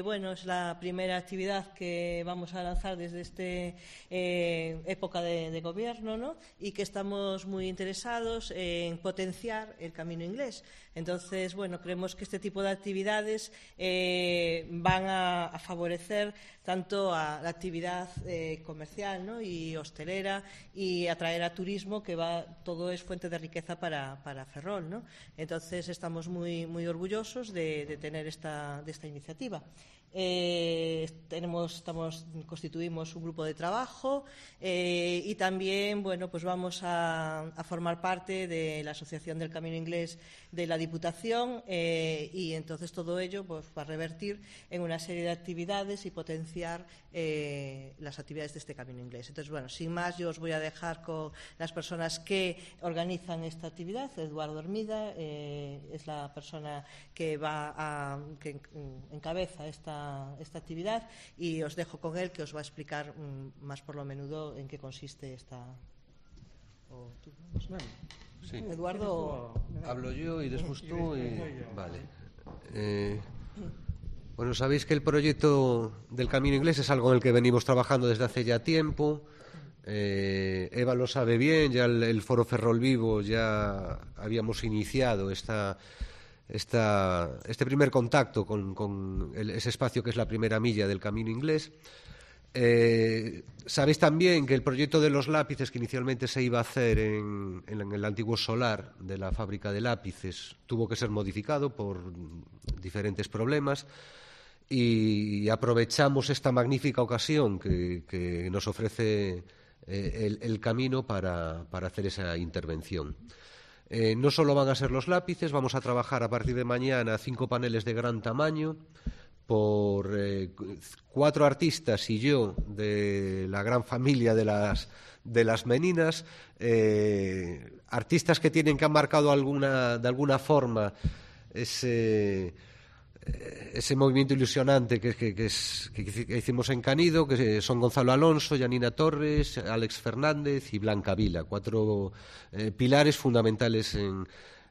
Bueno, es la primera actividad que vamos a lanzar desde esta época de gobierno, ¿no? Y que estamos muy interesados en potenciar el camino inglés. Entonces, bueno, creemos que este tipo de actividades van a favorecer tanto a la actividad comercial, ¿no? Y hostelera, y atraer a turismo, que todo es fuente de riqueza para Ferrol, ¿no? Entonces estamos muy orgullosos de tener esta iniciativa. Constituimos un grupo de trabajo y también, bueno, pues vamos a formar parte de la Asociación del Camino Inglés de la Diputación y entonces todo ello pues va a revertir en una serie de actividades y potenciar las actividades de este Camino Inglés. Entonces, bueno, sin más, yo os voy a dejar con las personas que organizan esta actividad. Eduardo Hermida es la persona que encabeza esta actividad, y os dejo con él, que os va a explicar más por lo menudo en qué consiste esta. Sí. Eduardo. Hablo yo y después tú. Vale. Bueno, sabéis que el proyecto del Camino Inglés es algo en el que venimos trabajando desde hace ya tiempo. Eva lo sabe bien, ya el Foro Ferrol Vivo ya habíamos iniciado este primer contacto con ese espacio que es la primera milla del Camino Inglés. Sabéis también que el proyecto de los lápices, que inicialmente se iba a hacer en el antiguo solar de la fábrica de lápices, tuvo que ser modificado por diferentes problemas, y aprovechamos esta magnífica ocasión que nos ofrece el camino para hacer esa intervención. No solo van a ser los lápices, vamos a trabajar a partir de mañana 5 paneles de gran tamaño por 4 artistas y yo, de la gran familia de las Meninas, artistas que tienen que han marcado de alguna forma ese movimiento ilusionante que hicimos en Canido, que son Gonzalo Alonso, Janina Torres, Alex Fernández y Blanca Vila, 4 pilares fundamentales en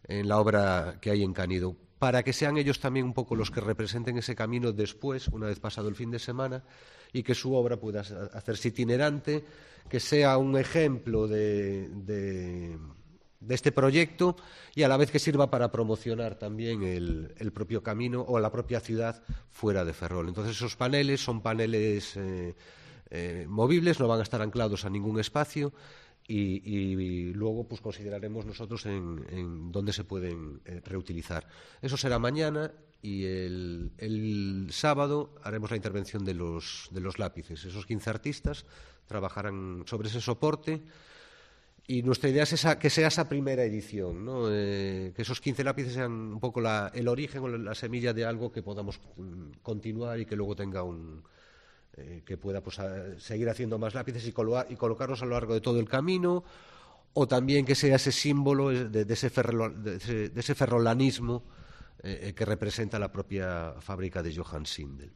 la obra que hay en Canido, para que sean ellos también un poco los que representen ese camino después, una vez pasado el fin de semana, y que su obra pueda hacerse itinerante, que sea un ejemplo de este proyecto, y a la vez que sirva para promocionar también el propio camino o la propia ciudad fuera de Ferrol. Entonces esos paneles son paneles movibles, no van a estar anclados a ningún espacio, y luego pues consideraremos nosotros en dónde se pueden reutilizar. Eso será mañana, y el sábado haremos la intervención de los lápices. Esos 15 artistas trabajarán sobre ese soporte. Y nuestra idea es que sea esa primera edición, ¿no? Que esos 15 lápices sean un poco el origen o la semilla de algo que podamos continuar y que luego tenga que pueda pues, seguir haciendo más lápices y colocarlos a lo largo de todo el camino, o también que sea ese símbolo de ese ferrolanismo que representa la propia fábrica de Johann Sindel.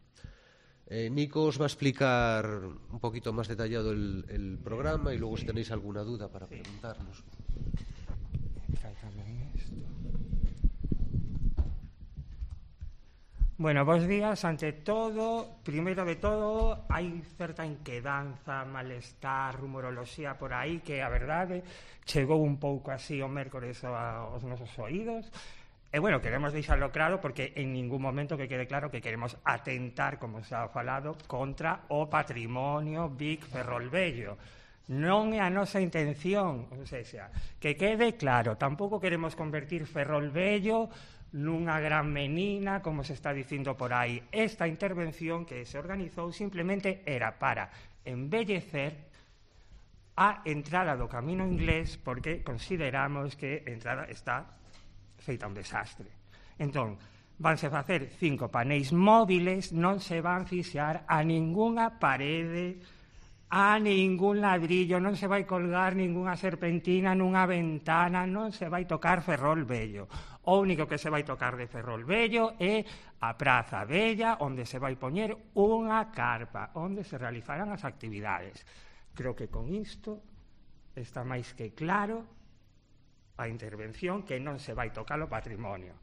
Nico os va a explicar un poquito más detallado el programa, y luego si tenéis alguna duda para preguntarnos. Bueno, bons días. Ante todo, primeiro de todo, hai certa inquedanza, malestar, rumoroloxía por aí, que a verdade chegou un pouco así o mércores aos nosos oídos. E, bueno, queremos deixarlo claro, porque en ningún momento que quede claro que queremos atentar, como se ha falado, contra o patrimonio Vic Ferrolvello. Non é a nosa intención, ou seja, que quede claro, tampouco queremos convertir Ferrolvello nunha gran menina, como se está dicindo por aí. Esta intervención que se organizou simplemente era para embellecer a entrada do Camino Inglés, porque consideramos que a entrada está feita un desastre. Entón, vanse facer 5 paneis móviles, non se van fixar a ningunha parede, a ningún ladrillo, non se vai colgar ningunha serpentina nunha ventana, non se vai tocar Ferrolvello. O único que se vai tocar de Ferrolvello é a Praza Bella, onde se vai poñer unha carpa, onde se realizarán as actividades. Creo que con isto está máis que claro a intervención, que non se vai tocar o patrimonio.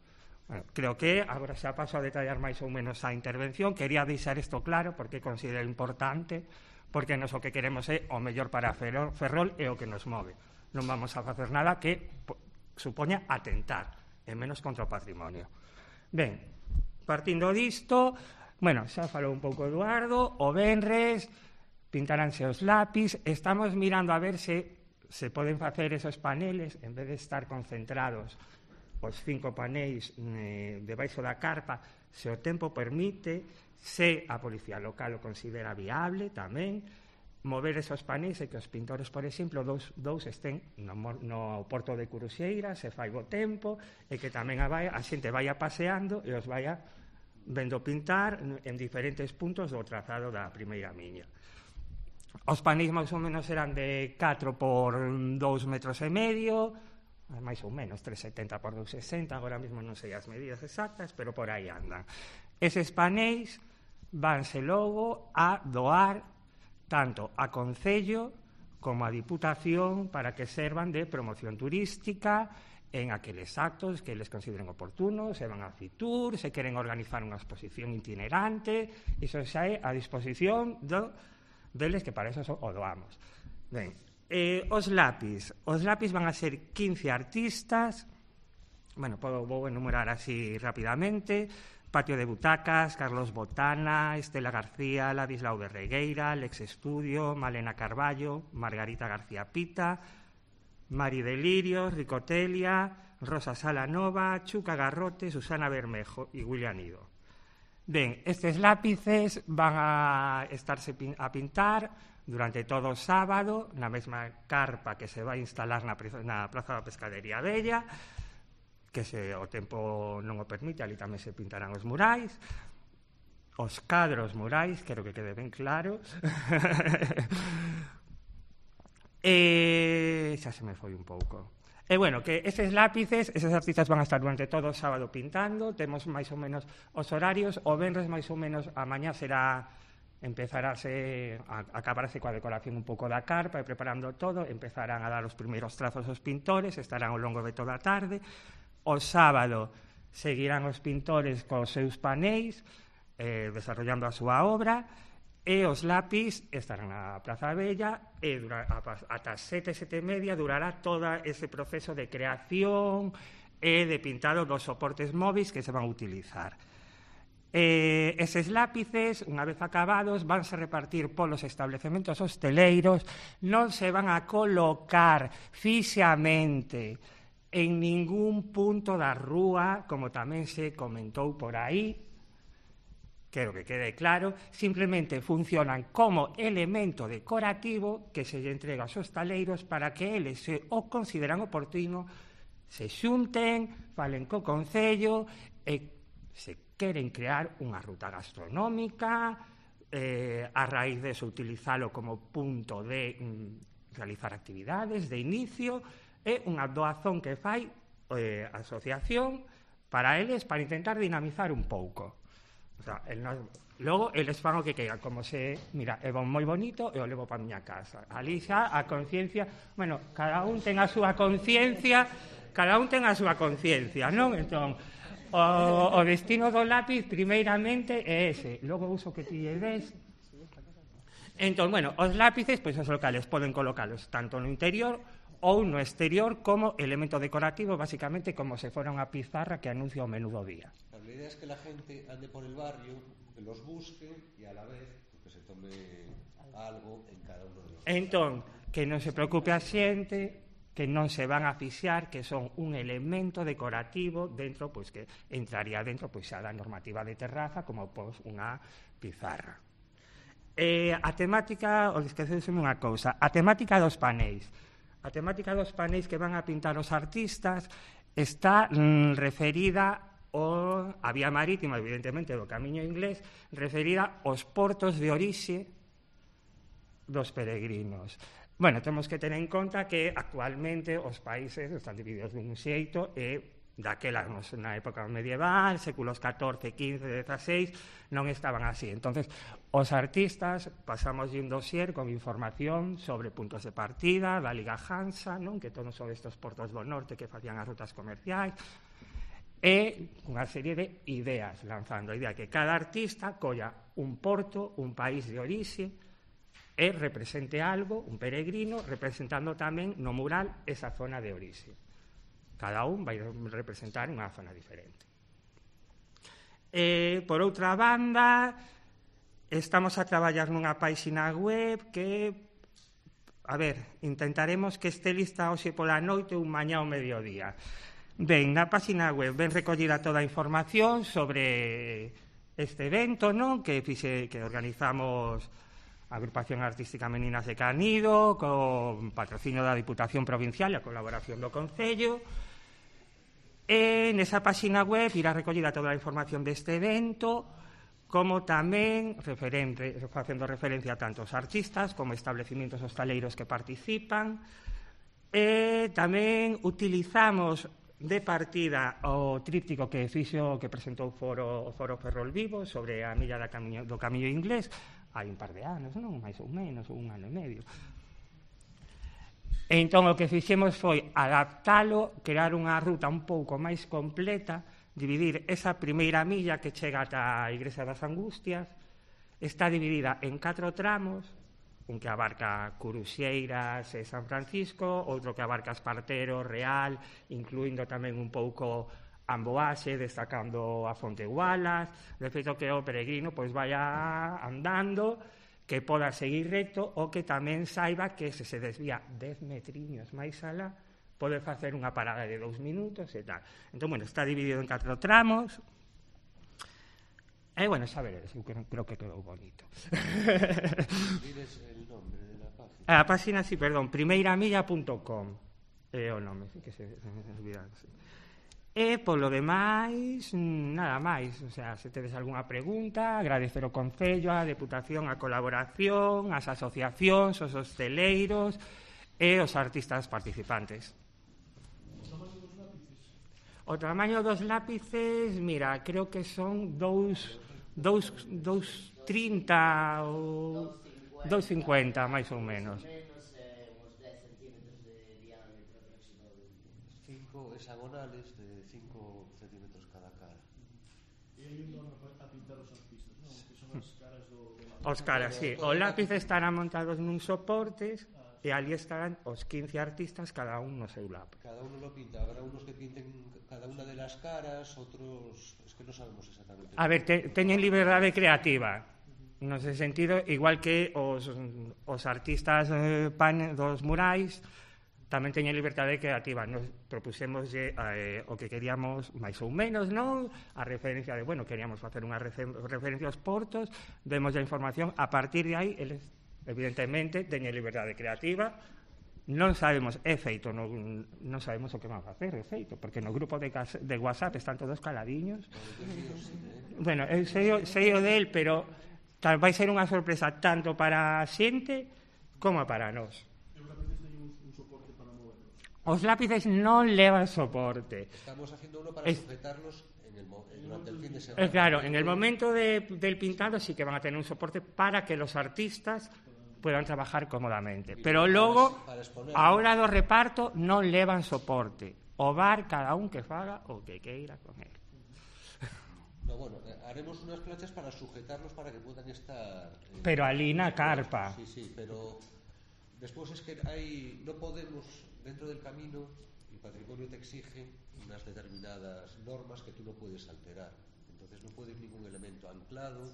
Bueno, creo que agora xa paso a detallar máis ou menos a intervención. Quería deixar isto claro porque considero importante, porque nos o que queremos é o mellor para Ferrol e o que nos move. Non vamos a facer nada que supoña atentar, e menos contra o patrimonio. Ben, partindo disto, bueno, xa falou un pouco Eduardo, o venres pintaránse os lápis, estamos mirando a ver se poden facer esos paneles, en vez de estar concentrados os 5 panéis debaixo da carpa, se o tempo permite, se a policía local o considera viable tamén, mover esos panéis e que os pintores, por exemplo, dous estén no porto de Curuxeira, se fai bo tempo, e que tamén a xente vaya paseando e os vaya vendo pintar en diferentes puntos do trazado da primeira miña. Os panéis máis ou menos eran de 4 por 2,5 metros, máis ou menos 3,70 por 2,60, agora mesmo non sei as medidas exactas, pero por aí andan. Eses panéis vanse logo a doar tanto a Concello como a Diputación para que servan de promoción turística en aqueles actos que les consideren oportunos, se van a Fitur, se queren organizar unha exposición itinerante, iso xa é a disposición deles, que para eso o doamos. Ben, os lápis van a ser 15 artistas, bueno, vou enumerar así rapidamente: Patio de Butacas, Carlos Botana, Estela García, Ladislau de Regueira, Lex Estudio, Malena Carballo, Margarita García Pita, Mari Delirios, Ricotelia, Rosa Salanova, Chuca Garrote, Susana Bermejo e William Nido. Ben, estes lápices van a estarse a pintar durante todo o sábado na mesma carpa que se vai instalar na Praza da Pescadería Bella, que se o tempo non o permite, ali tamén se pintarán os murais, os cadros murais, quero que quede ben claro. E xa se me foi un pouco. E bueno, que eses lápices, eses artistas van a estar durante todo o sábado pintando, temos máis ou menos os horarios, o venres máis ou menos a mañá acabarase coa decoración un pouco da carpa e preparando todo, empezarán a dar os primeiros trazos aos pintores, estarán ao longo de toda a tarde. O sábado seguirán os pintores cos seus panéis, desarrollando a súa obra, e os lápis estarán na Praza Bella e ata as 7:30 durará todo ese proceso de creación e de pintado dos soportes móviles que se van a utilizar. Eses lápices, unha vez acabados, vanse repartir polos establecementos hosteleiros, non se van a colocar fixamente en ningún punto da rúa, como tamén se comentou por aí. Quero que quede claro, simplemente funcionan como elemento decorativo que se lle entrega aos hostaleiros para que eles, se o consideran oportuno, se xunten, falen co Concello e se queren crear unha ruta gastronómica, a raíz de eso utilizalo como punto de realizar actividades de inicio, e unha doazón que fai a asociación para eles, para intentar dinamizar un pouco. O sea, logo eles fan o que queiran, como se, mira, é moi bonito e o levo para a miña casa. Ali xa a conciencia, bueno, cada un ten a súa conciencia, non? Entón, o destino do lápiz primeiramente é ese, logo o uso que ti lle des. Entón, bueno, os lápices, pois os locales poden colocalos tanto no interior ou no exterior como elemento decorativo, basicamente como se fora unha pizarra que anuncia o menú do día. La idea es que la gente ande por el barrio, que los busque y a la vez que se tome algo en cada uno de los... Entón, que non se preocupe a xente, que non se van a fixar, que son un elemento decorativo dentro, pois que entraría dentro pois xa da normativa de terraza como pois unha pizarra. A temática, ou esqueceseme unha cousa, a temática dos panéis. A temática dos panéis que van a pintar os artistas está referida a vía marítima, evidentemente, do Camiño Inglés, referida aos portos de orixe dos peregrinos. Bueno, temos que ter en conta que actualmente os países están divididos dun xeito e daquela, na época medieval, séculos XIV, XV, XVI, non estaban así. Entonces, os artistas pasamos un dossier con información sobre puntos de partida da Liga Hansa, non? Que todos son estes portos do norte que facían as rutas comerciais, e unha serie de ideas lanzando a idea que cada artista colla un porto, un país de orixe e represente algo, un peregrino, representando tamén no mural esa zona de orixe. Cada un vai representar unha zona diferente. Por outra banda, estamos a traballar nunha páxina web que, a ver, intentaremos que este lista hoxe pola noite ou mañá ao mediodía. Ben, na páxina web ven recollida toda a información sobre este evento, non? Que organizamos a Agrupación Artística Meninas de Canido, con patrocinio da Diputación Provincial e a colaboración do Concello. E nesa páxina web irá recollida toda a información deste evento, como tamén facendo referencia tanto aos artistas como establecimientos hostaleiros que participan. E tamén utilizamos de partida o tríptico que presentou o Foro Ferrol Vivo sobre a milla do Camiño Inglés hai un par de anos, non? Mais ou menos, ou un ano e medio. E entón o que fixemos foi adaptalo, crear unha ruta un pouco máis completa, dividir esa primeira milla que chega ata a Igrexa das Angustias, está dividida en 4 tramos, un que abarca Curuxeiras e San Francisco, outro que abarca Espartero, Real, incluindo tamén un pouco Amboase, destacando a Fonte Gualas, de feito que o peregrino pois vaya andando, que poda seguir recto, ou que tamén saiba que se desvía 10 metriños máis alá, pode facer unha parada de 2 minutos e tal. Entón, bueno, está dividido en 4 tramos. E, bueno, xa veredes, eu creo que quedou bonito. Diles el nombre de la página. A página, sí, perdón, primeiramilla.com é o nome, que se olvidaron. E, polo demais, nada máis. O sea, se tedes algunha pregunta, agradecer o Concello, a Deputación, a colaboración, as asociacións, os hosteleiros e os artistas participantes. O tamaño dos lápices, mira, creo que son 2,30 ou 2,50, máis ou menos. Hexagonales de 5 centímetros cada cara. E aí onde a pintar os artistas, non? Que son as caras do... Os caras, sí. Os lápices estarán montados nun soportes e ali estarán os 15 artistas, cada un no seu lápiz. Cada uno lo pinta. Habrá unos que pinten cada una de las caras, otros... Es que no sabemos exactamente. A ver, teñen liberdade creativa. No ese sentido, igual que os artistas dos murais, tamén teñen liberdade creativa. Nos propusemos o que queríamos máis ou menos, non? A referencia de, bueno, queríamos facer unha referencia aos portos, vemos a información, a partir de aí, eles, evidentemente, teñen liberdade creativa, non sabemos, é feito, non sabemos o que van a facer, é feito, porque no grupo de WhatsApp están todos caladiños. Bueno, eu sei o del, pero vai ser unha sorpresa tanto para a xente como para nós. Os lápices non levan soporte. Estamos haciendo uno para sujetarlos durante el fin de semana. Claro, en el momento del pintado sí que van a tener un soporte para que los artistas puedan trabajar cómodamente. Pero logo, a hora do reparto, non levan soporte. O bar, cada un que faga o que queira con él. No, bueno, haremos unas planchas para sujetarlos para que puedan estar... Pero alí na carpa. Sí, pero despois es que no podemos... Dentro del camino, el patrimonio te exige unas determinadas normas que tú no puedes alterar. Entonces no puede ir ningún elemento anclado,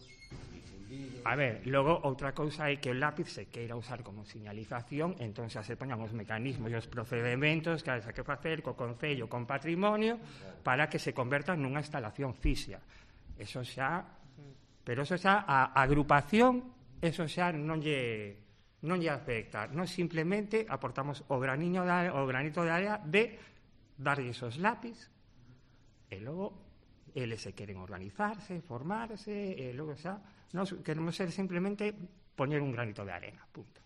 ni fundido. A ver, logo outra cousa é que o lápiz se queira usar como señalización, entón se poñan os mecanismos e os procedimentos que hai que facer co Concello, con patrimonio, para que se convertan nunha instalación física. Eso xa, pero eso xa, a agrupación, eso xa non lle afecta. Nós simplemente aportamos o granito de área de darlle esos lápiz e logo eles se queren organizarse, formarse e logo xa nós queremos ser simplemente poñer un granito de arena, punto.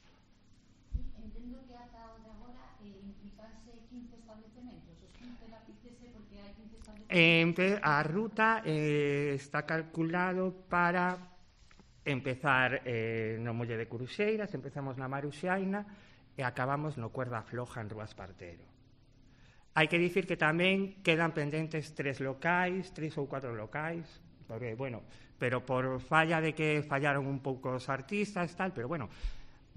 Entendo que ata o de agora implicanse 15 establecementos, os 15 lápices, porque hai 15 establecementos. A ruta está calculado para empezar no Molle de Curuxeiras, empezamos na Maruxaina e acabamos no Cuerda Floja en Rúa Espartero. Hai que dicir que tamén quedan pendentes 3 ou 4 locais, porque, bueno, pero por falla de que fallaron un pouco os artistas, tal, pero, bueno,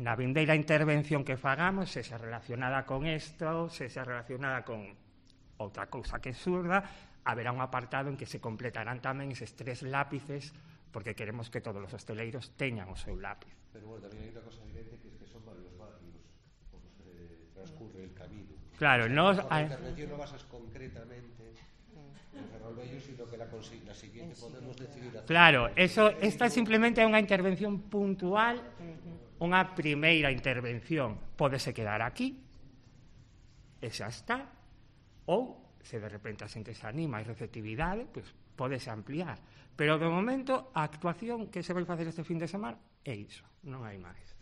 na vindeira intervención que fagamos, se xa relacionada con isto, se xa relacionada con outra cousa que surda, haberá un apartado en que se completarán tamén eses 3 lápices, porque queremos que todos os hosteleiros teñan o seu lápiz. Pero, bueno, tamén hai unha cosa evidente que son varios barrios por los que transcurre el camino. Claro, nos... La intervención no basas concretamente en Ferrolbello, sino que la siguiente podemos decidir hacer... Claro, esta simplemente é unha intervención puntual, unha primeira intervención. Pódese quedar aquí, e xa está, ou, se de repente a xente se anima e receptividade, pues, pódese ampliar. Pero, de momento, a actuación que se vai facer este fin de semana é iso, non hai máis.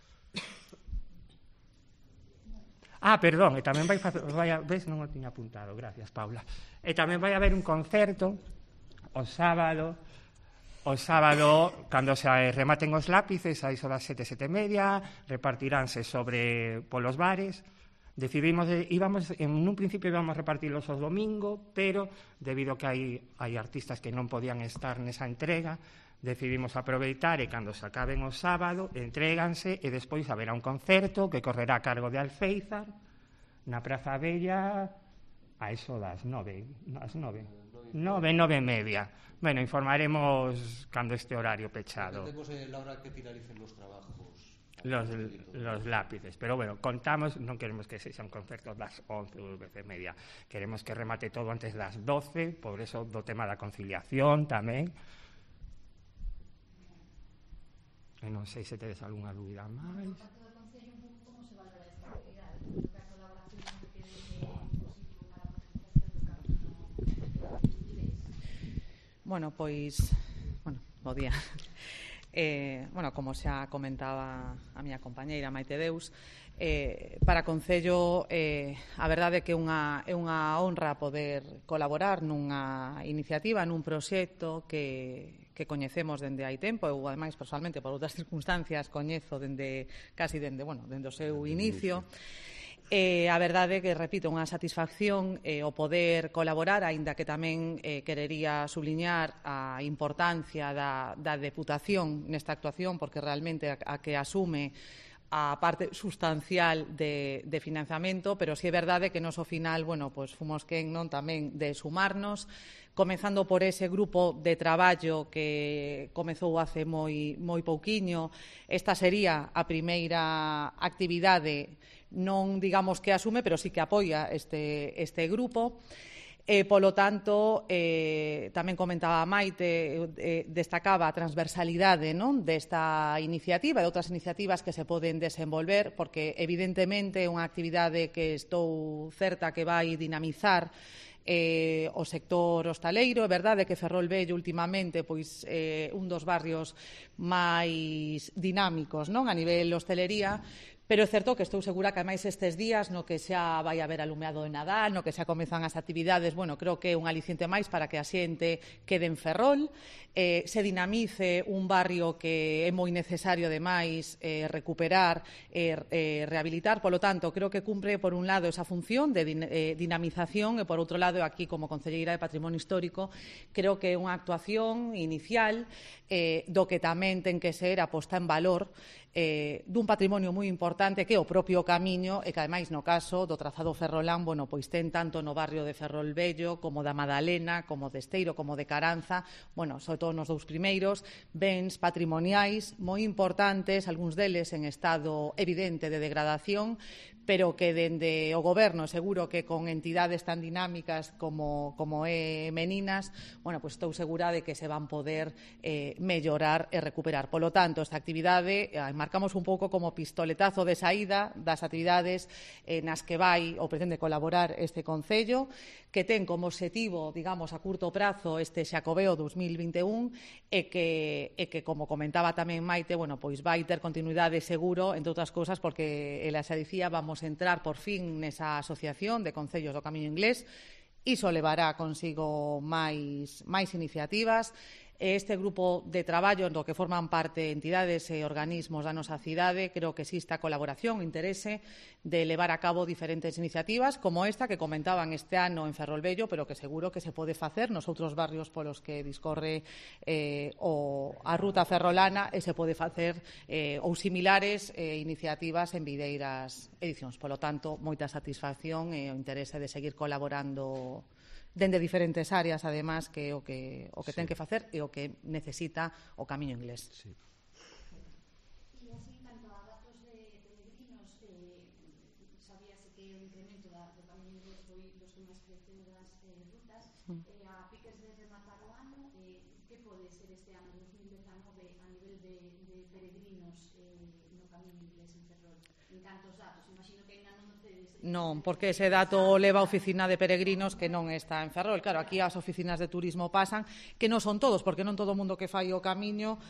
Perdón, e tamén ves, non o tiña apuntado, gracias, Paula. E tamén vai haber un concerto o sábado, cando se rematen os lápices, a iso das 7:30, repartiránse polos bares. Decidimos, en un principio íbamos a repartirlos o domingo, pero debido a que hai artistas que non podían estar nesa entrega, decidimos aproveitar e cando se acaben o sábado, entréganse e despois haberá un concerto que correrá a cargo de Alféizar na Praza Bella a eso das 9:30. Bueno, informaremos cando este horario pechado. Temos la hora que finalicen los trabajos. Los lápices, pero bueno, contamos, non queremos que sexa un concerto das 11 ou 10:30, queremos que remate todo antes das 12, por eso do tema da conciliación tamén. E non sei se tedes algunha dúbida máis. Bueno, pois, bo día. Como xa comentaba a miña compañeira Maite Deus, para Concello a verdade é que é unha honra poder colaborar nunha iniciativa, nun proxecto que coñecemos dende hai tempo. Eu, ademais, personalmente, por outras circunstancias, coñezo dende o seu inicio. A verdade é que, repito, unha satisfacción o poder colaborar, aínda que tamén querería subliñar a importancia da Deputación nesta actuación, porque realmente a que asume a parte sustancial de financiamento, pero si é verdade que nos ao final, fomos quen non tamén de sumarnos, comezando por ese grupo de traballo que comezou hace moi pouquiño. Esta sería a primeira actividade, non digamos que asume, pero sí que apoia este grupo. Polo tanto, tamén comentaba Maite, destacaba a transversalidade desta iniciativa e de outras iniciativas que se poden desenvolver, porque evidentemente é unha actividade que estou certa que vai dinamizar o sector hostaleiro. É verdade que Ferrolbello últimamente un dos barrios máis dinámicos a nivel hostelería, pero é certo que estou segura que, ademais, estes días no que xa vai haber alumeado de Nadal, no que xa comezan as actividades, creo que é un aliciente máis para que a xente quede en Ferrol, se dinamice un barrio que é moi necesario, ademais, recuperar e rehabilitar. Polo tanto, creo que cumpre, por un lado, esa función de dinamización e, por outro lado, aquí, como Concelleira de Patrimonio Histórico, creo que é unha actuación inicial do que tamén ten que ser a posta en valor dun patrimonio moi importante que é o propio camiño e que, ademais, no caso do trazado ferrolán, ten tanto no barrio de Ferrolbello como da Madalena, como de Esteiro, como de Caranza, sobre todo nos dous primeiros, bens patrimoniais moi importantes, algúns deles en estado evidente de degradación, pero que dende o Goberno, seguro que con entidades tan dinámicas como é Meninas, estou segura de que se van poder mellorar e recuperar. Polo tanto, esta actividade marcamos un pouco como pistoletazo de saída das actividades nas que vai ou pretende colaborar este Concello, que ten como obxectivo, digamos, a curto prazo este Xacobeo 2021 e que, como comentaba tamén Maite, vai ter continuidade seguro, entre outras cousas, porque ela xa dicía, vamos a entrar por fin nesa asociación de Concellos do Camiño Inglés. Iso levará consigo máis iniciativas. Este grupo de traballo do que forman parte entidades e organismos da nosa cidade, creo que existe a colaboración, interese de levar a cabo diferentes iniciativas como esta que comentaban este ano en Ferrolvello, pero que seguro que se pode facer nos outros barrios polos que discorre a ruta ferrolana e se pode facer ou similares iniciativas en videiras edicións. Polo tanto, moita satisfacción e o interese de seguir colaborando dende diferentes áreas, además, que o que ten que facer e o que necesita o Camiño Inglés. E así, en canto a datos de peregrinos, sabíase que o incremento do Camiño Inglés foi dos que máis creceu das rutas. A piques de rematar o ano, que pode ser este ano 2019 a nivel de peregrinos no Camiño Inglés en Ferrol? En cantos datos? Imagino que ainda non tedes... Non, porque ese dato leva a oficina de peregrinos que non está en Ferrol. Claro, aquí as oficinas de turismo pasan, que non son todos, porque non todo o mundo que fai o camiño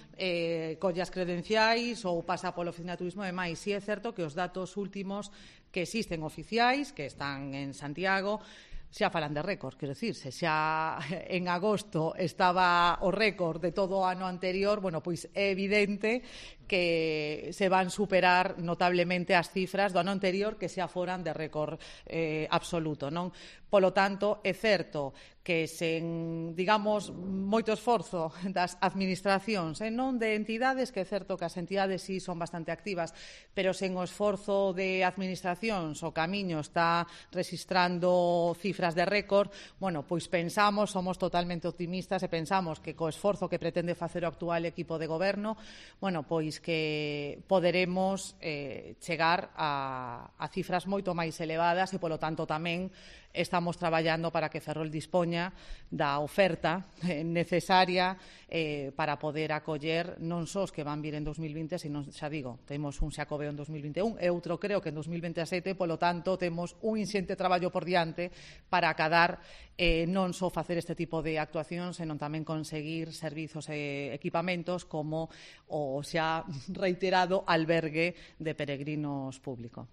colle as credenciais ou pasa pola oficina de turismo e máis. Si é certo que os datos últimos que existen oficiais, que están en Santiago, xa falan de récord, quero dicir, se xa en agosto estaba o récord de todo o ano anterior, bueno, pois é evidente que se van superar notablemente as cifras do ano anterior que xa foran de récord absoluto, non? Polo tanto, é certo que sen, digamos, moito esforzo das administracións e non de entidades, que é certo que as entidades sí son bastante activas, pero sen o esforzo de administracións o Camiño está registrando cifras de récord, bueno, pois pensamos, somos totalmente optimistas e pensamos que co esforzo que pretende facer o actual equipo de goberno, bueno, pois que poderemos chegar a cifras moito máis elevadas e, polo tanto, tamén estamos traballando para que Ferrol dispoña da oferta necesaria para poder acoller non só os que van vir en 2020, sino, xa digo, temos un Xacobeo en 2021 e outro creo que en 2027, polo tanto, temos un inxente traballo por diante para acadar non só facer este tipo de actuacións, senón tamén conseguir servizos e equipamentos como o xa reiterado albergue de peregrinos público.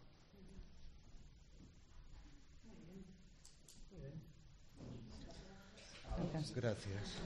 Gracias.